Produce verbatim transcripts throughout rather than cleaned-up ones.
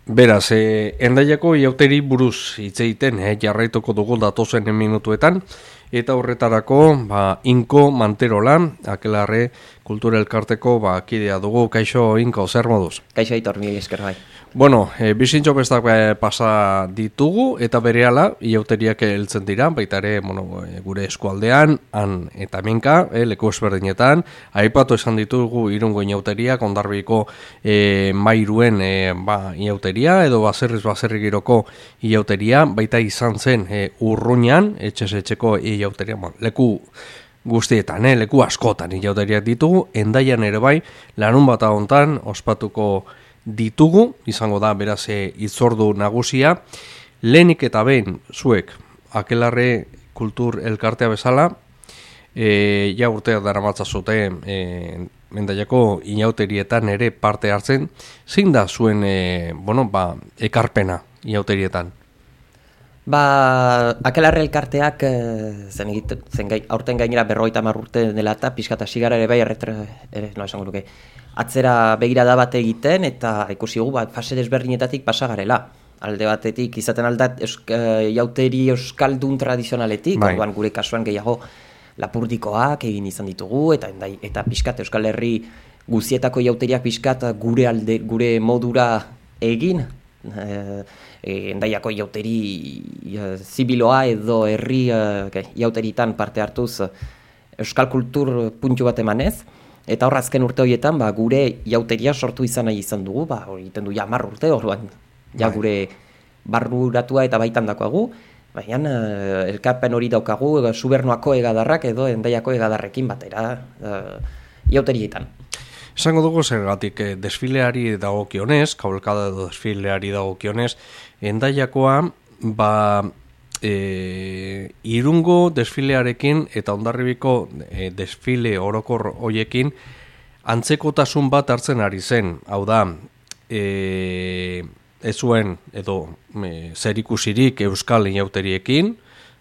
Beraz, eh, Hendaiako iauteri buruz hitz egiten eh, jarraituko dugu datozen minutuetan, eta horretarako ba, Inko Manterola, Akelarre Kultura Elkarteko ba, kidea dugu. Kaixo, Inko, zer moduz? Kaixo, Aitor, mi esker bai. Bueno, e, bizintxo bestak e, pasa ditugu, eta berehala iauteriak heltzen dira, baita ere bueno, e, gure eskualdean, han eta hemenka, e, leku ezberdinetan, aipatu esan ditugu Irungo iauteriak, Hondarbiko e, Mairuen e, ba, iauteria, edo baserriz baserri giroko iauteria, baita izan zen e, Urruñan, etxez etxeko iauteria, bon, leku guztietan, eh, leku askotan iauteriak ditugu, Hendaian ere bai, larun bat hontan ospatuko ditugu, izango da beraz hitzordu nagusia. Lehenik eta behin zuek Akelarre Kultur Elkartea bezala, e, ja urteak daramatza zute e, Hendaiako inauterietan ere parte hartzen, zein da zuen e, bueno, ba, ekarpena inauterietan? Ba, Akelarre Elkarteak zen, egite, zen gai, aurten gainera berrogeita hamar urte dela eta pixka eta sigara ere bai erretra, ere, no, esango luke, atzera begirada bat egiten eta ikusi gu bat fase desberdinetatik pasagarela. Alde batetik izaten aldat eusk, e, jauteri euskaldun tradizionaletik, bai. Orduan gure kasuan gehiago lapurdikoak egin izan ditugu eta endai, eta pixkat Euskal Herri guzietako jauteriak pixkat gure alde gure modura egin. E, Hendaiako jauteri e, zibiloa edo herri e, jauteritan parte hartuz euskal kultur puntu bat emanez. Eta hor azken urte horietan ba, gure jauteria sortu izan nahi izan dugu, ba, hori egiten du ja hamar urte, orduan ja gure barruratua eta baitan dakoagu, baina uh, elkarpen hori daukagu uh, Subernuako egadarrak edo Hendaiako egadarrekin batera uh, jauterietan. Esango dugu zergatik eh, desfileari dagokionez, kabalkada edo desfileari dagokionez, Hendaiakoa ba E, Irungo desfilearekin eta Hondarribiko e, desfile orokor hoiekin antzekotasun bat hartzen ari zen. Hau da, e, ez zuen edo e, zerikusirik euskal inauteriekin,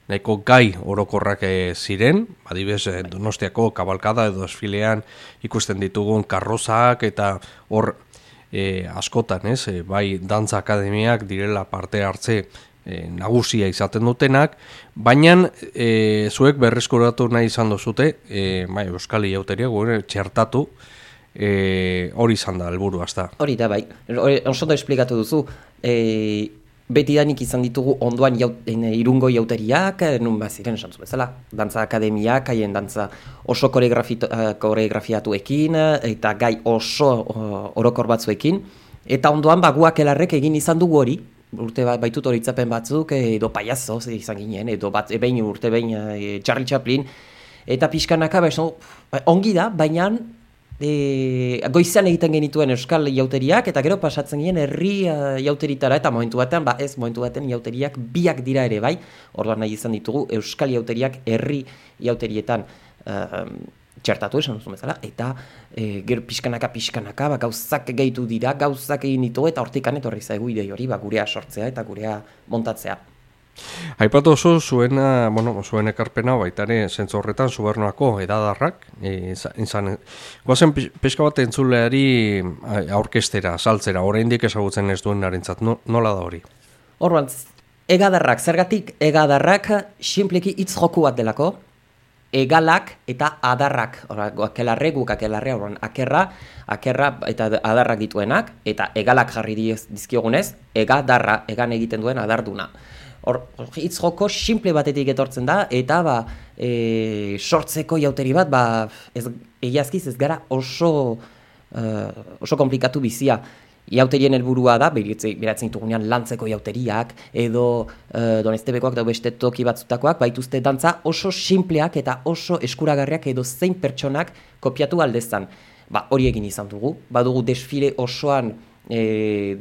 nahiko gai orokorrak e, ziren, adibidez e, Donostiako kabalkada edo desfilean ikusten ditugun karrozak eta hor e, askotan, ez, e, bai dantza akademiak direla parte hartze E, nagusia izaten dutenak, baina e, zuek berreskuratu nahi izan duzute, e, bai, euskal iauteria gure txertatu, e, hori izan da helburu hasta. Hori da bai, oso da esplikatu duzu, e, beti danik izan ditugu ondoan jaut, e, Irungo jauteriak, nun baziren esan zu bezala, dantza akademiak, haien dantza oso koreografiatuekin, eta gai oso orokor batzuekin, eta ondoan baguak Akelarrek egin izan dugu hori, urte bat baitut horitzapen batzuk, edo paiazo izan ginen, edo bat behin urte behin e, Charlie Chaplin, eta pixkanaka ba, ongi da, baina e, goizean egiten genituen euskal jauteriak, eta gero pasatzen ginen herri uh, jauteritara, eta momentu batean, ba ez momentu batean jauteriak biak dira ere bai, orduan nahi izan ditugu euskal jauteriak herri jauterietan uh, txertatu esan duzu bezala, eta e, gero pixkanaka pixkanaka ba, gauzak gehitu dira, gauzak egin ditu eta hortikan etorri zaigu idei hori ba, gurea sortzea eta gurea montatzea. Aipatu oso zuen, bueno, zuen ekarpena baitare zentzu horretan Subernuako edadarrak, e, izan, guazen pixka bat entzuleari aurkestera, saltzera, oraindik ezagutzen ez duen narentzat, no, nola da hori? Orduan, egadarrak, zergatik egadarrak sinpleki hitz joku bat delako, egalak eta adarrak, Akelarre, guk Akelarre, orduan, akerra, akerra eta adarrak dituenak, eta egalak jarri dizkiogunez, egadarra, egan egiten duen adarduna. Hor, hitz joko simple batetik etortzen da, eta ba, e, sortzeko jauteri bat, ba, ez, egiazkiz ez gara oso, uh, oso komplikatu bizia. Jauterien helburua da, beratzen ditugunean lantzeko jauteriak, edo uh, Donestebekoak da beste toki batzutakoak, baituzte dantza oso simpleak eta oso eskuragarriak edo zein pertsonak kopiatu aldezan. Ba, hori egin izan dugu, badugu desfile osoan e,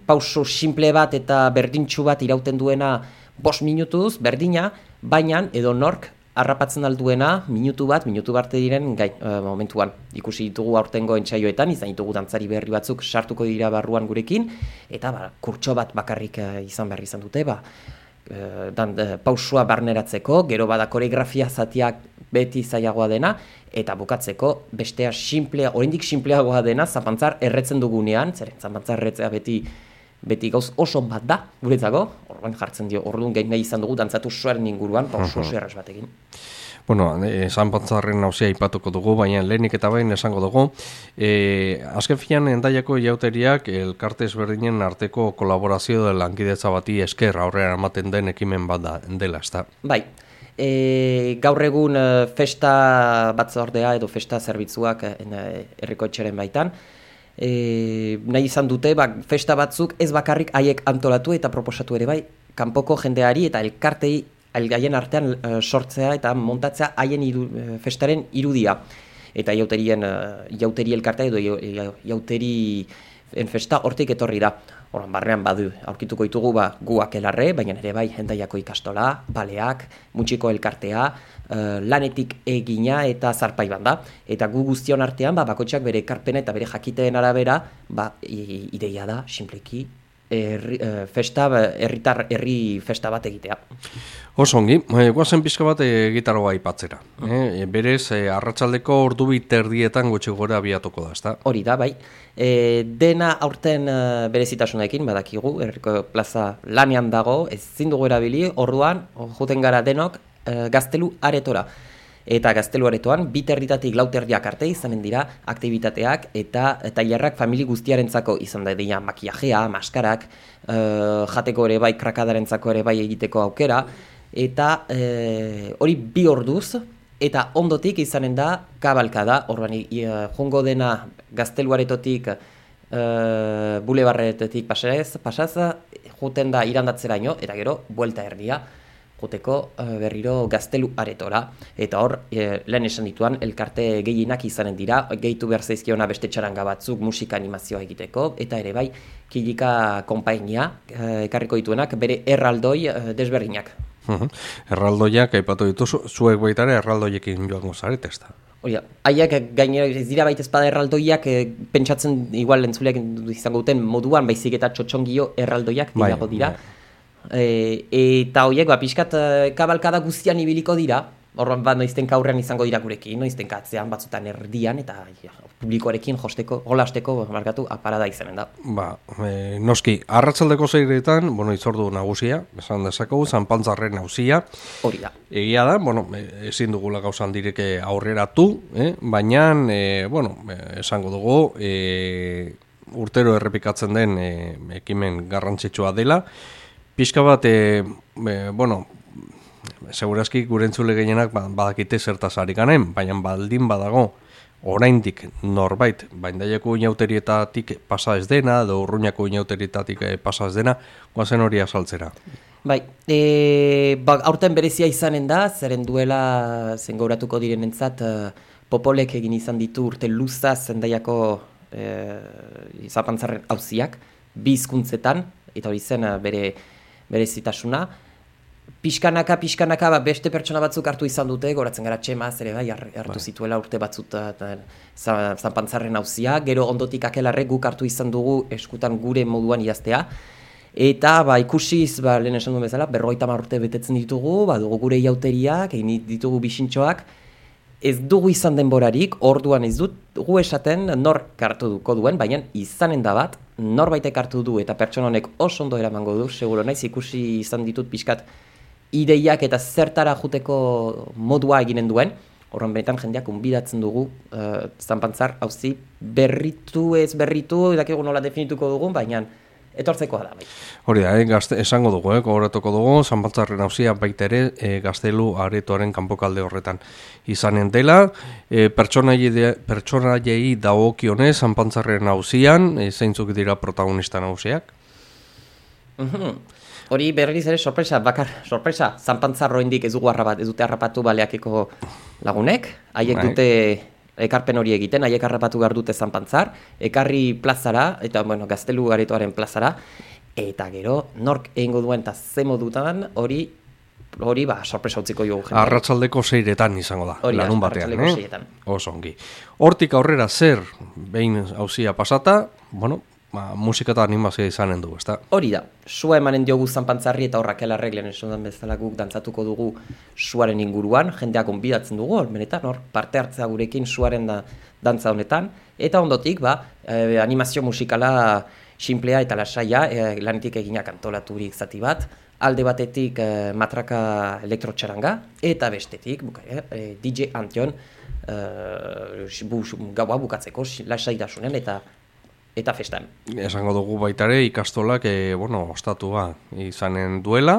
pauso simple bat eta berdintxu bat irauten duena bost minutuz, berdina, baina edo nork harrapatzen alduena minutu bat, minutu barte diren gai, uh, momentuan. Ikusi ditugu aurtengo entsaioetan, izan ditugu dantzari berri batzuk sartuko dira barruan gurekin, eta ba, kurtso bat bakarrik uh, izan behar izan dute, ba, uh, dan, uh, pausua barneratzeko, gero bada koreografia zatiak beti zailagoa dena, eta bukatzeko bestea simplea, oraindik simpleagoa dena, zapantzar erretzen dugunean, zeren zapantzar erretzea beti beti gauz oso bat da, guretzako, orduan jartzen dio, orduan gain nahi izan dugu dantzatu suaren inguruan, pa oso oso erraz batekin. Bueno, esan pantzarren nauzia ipatuko dugu, baina lehenik eta bain esango dugu. E, azken finan, Hendaiako jauteriak elkarte ezberdinen arteko kolaborazio de lankidetza bati esker aurrera ematen den ekimen bat da, dela, ezta? Bai, e, gaur egun festa batzordea edo festa zerbitzuak herriko etxeren baitan, e, nahi izan dute, ba, festa batzuk ez bakarrik haiek antolatu eta proposatu ere bai, kanpoko jendeari eta elkartei haien artean uh, sortzea eta montatzea haien iru, uh, festaren irudia. Eta jauterien, uh, jauteri elkartea edo jauterien festa hortik etorri da. Horan barrean badu, aurkituko ditugu ba, guak elarre, baina ere bai Hendaiako ikastola, baleak, mutxiko elkartea, uh, lanetik egina eta zarpai banda. Eta gu guztion artean, ba, bakotxak bere ekarpena eta bere jakiteen arabera, ba, ideia da, simpleki, Herri, festa, herritar, herri festa bat egitea. Osongi, e, guazen pizka bat e, gitaroa aipatzera. E, berez, e, arratsaldeko ordu bi terdietan gutxi gora abiatuko da, ezta? Hori da, bai. E, dena aurten e, berezitasunekin, badakigu, herriko plaza lanean dago, ezin dugu erabili, orduan, joten gara denok, e, gaztelu aretora. Eta gaztelu aretoan, bi terditatik lau terdiak arte izanen dira aktibitateak eta tailerrak famili guztiarentzako izan da dira makiajea, maskarak, e, jateko ere bai, krakadarentzako ere bai egiteko aukera, eta e, hori bi orduz, eta ondotik izanen da kabalkada, orduan jongo dena gaztelu aretotik e, bulebarretetik pasaz, pasaz, juten da irandatzeraino, eta gero, buelta erdia, joteko berriro gaztelu aretora. Eta hor, e, lehen esan dituan, elkarte gehienak izanen dira, gehitu behar zaizkiona beste txaranga batzuk musika animazioa egiteko, eta ere bai, Kilika konpainia e, ekarriko dituenak, bere erraldoi e, desberdinak. Uhum. Erraldoiak, aipatu dituzu, zuek baitare erraldoiekin joango zarete, ez da? Hori da, haiek gainera ez dira baita espada erraldoiak e, pentsatzen igual entzuleak izango duten moduan, baizik eta txotxongio erraldoiak bai, dirago dira. Bai. E, eta horiek, ba, pixkat kabalkada guztian ibiliko dira, horren bat noizten kaurrean izango dira gurekin, noizten katzean, batzutan erdian, eta ja, publikoarekin josteko, holasteko, markatu, aparada izanen da. Ba, e, noski, arratsaldeko zeiretan, bueno, itzordu nagusia, esan dezakegu, zanpantzarren nagusia. Hori da. Egia da, bueno, ezin dugula gauzan direke aurreratu, eh? Baina, e, bueno, esango dugu, e, urtero errepikatzen den e, ekimen garrantzitsua dela, pixka bat, e, e, bueno, segurazki gure entzule gehienak badakite zertaz ari ganen, baina baldin badago oraindik norbait, Hendaiako inauterietatik pasa ez dena, edo Urruñako inauterietatik pasa ez dena, guazen hori azaltzera. Bai, e, ba, aurten berezia izanen da, zeren duela zengauratuko direnentzat, uh, popolek egin izan ditu urte luzaz Hendaiako e, zapantzarren auziak, bi hizkuntzetan, eta hori zen uh, bere berezitasuna. Piskanaka, piskanaka, ba, beste pertsona batzuk hartu izan dute, goratzen gara Txema, zere bai, hartu zituela urte batzut zanpantzarren auzia, gero ondotik akelarrek guk hartu izan dugu eskutan gure moduan idaztea, eta ba, ikusiz, ba, lehen esan duen bezala, berrogeita hamar urte betetzen ditugu, ba, dugu gure jauteriak, egin ditugu bisintxoak, ez dugu izan denborarik, orduan ez dut gu esaten nor hartu duko duen, baina izanen da bat, norbaitek hartu du eta pertsona honek oso ondo eramango du, seguro naiz ikusi izan ditut pixkat ideiak eta zertara juteko modua eginen duen, horren benetan jendeak unbidatzen dugu uh, zanpantzar auzi berritu ez berritu, edakigu nola definituko dugun, baina etortzekoa da. Bai. Hori da, eh, gazte, esango dugu, eh, gogoratuko dugu, zanpantzarren auzia baita ere eh, gaztelu aretoaren kanpokalde horretan izanen dela, eh, pertsonaiei dagokionez zanpantzarren auzian, eh, zeintzuk dira protagonista nagusiak? Uhum. Hori berriz ere sorpresa, bakar, sorpresa, zanpantzarroindik ez dugu harrapat, ez dute harrapatu baleakeko lagunek, haiek dute ekarpen hori egiten, haiek harrapatu behar dute zanpantzar, ekarri plazara, eta bueno, gaztelu aretoaren plazara, eta gero, nork egingo duen eta ze modutan hori, hori ba, sorpresa utziko dugu. Arratsaldeko seiretan izango da, hori, larun batean, arratsaldeko eh? seietan. Oso ongi. Hortik aurrera zer, behin auzia pasata, bueno, ba, musika eta animazioa izanen du, ezta? Hori da, sua emanen diogu zanpantzarri eta horrak elarreglen esan bezala guk dantzatuko dugu suaren inguruan, jendeak onbidatzen dugu, benetan hor, parte hartzea gurekin suaren da, dantza honetan, eta ondotik, ba, eh, animazio musikala simplea eta lasaia, e, lanetik eginak antolaturik zati bat, alde batetik e, matraka elektrotxaranga, eta bestetik, buka, e, D J Antion, e, bu, gaua bukatzeko lasaidasunen eta eta festan. Esango dugu baitare ikastolak e, bueno, ostatua izanen duela,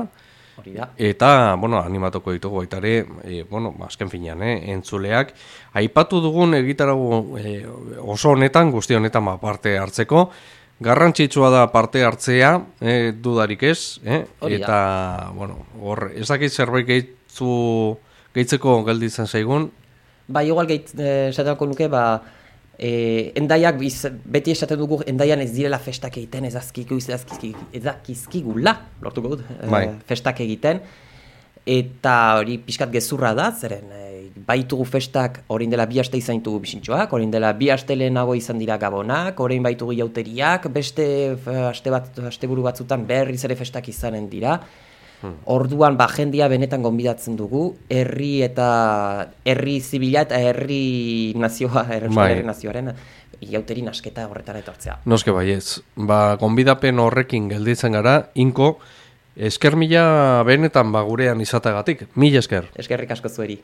hori da. Eta, bueno, animatuko ditugu baitare, e, bueno, azken finean, eh, entzuleak, aipatu dugun egitarago e, oso honetan, guzti honetan ba, parte hartzeko, garrantzitsua da parte hartzea, eh, dudarik ez, eh? Eta, bueno, hor, ez dakit zerbait gehitzu, gehitzeko gelditzen zaigun? Ba, igual gehit, eh, esateko nuke, ba, E, endaiak, biz, beti esaten dugu, endaian ez direla festak egiten, ez azkiku, ez azkizkigula, lortuko dut, e, festak egiten, eta hori pixkat gezurra da, zeren, e, baitugu festak, orain dela bi aste izan ditugu bisintxoak, orain dela bi aste lehenago izan dira gabonak, orain baitugu jauteriak, beste aste bat, asteburu batzutan berriz ere festak izanen dira, Hmm. Orduan ba jendia benetan gonbidatzen dugu, herri eta herri zibila eta herri nazioa, herri nazioaren iauteri nasketa horretara etortzea. Noske baietz, ba gonbidapen horrekin gelditzen gara, Inko, esker mila benetan ba gurean izatagatik, mila esker. Eskerrik asko zueri.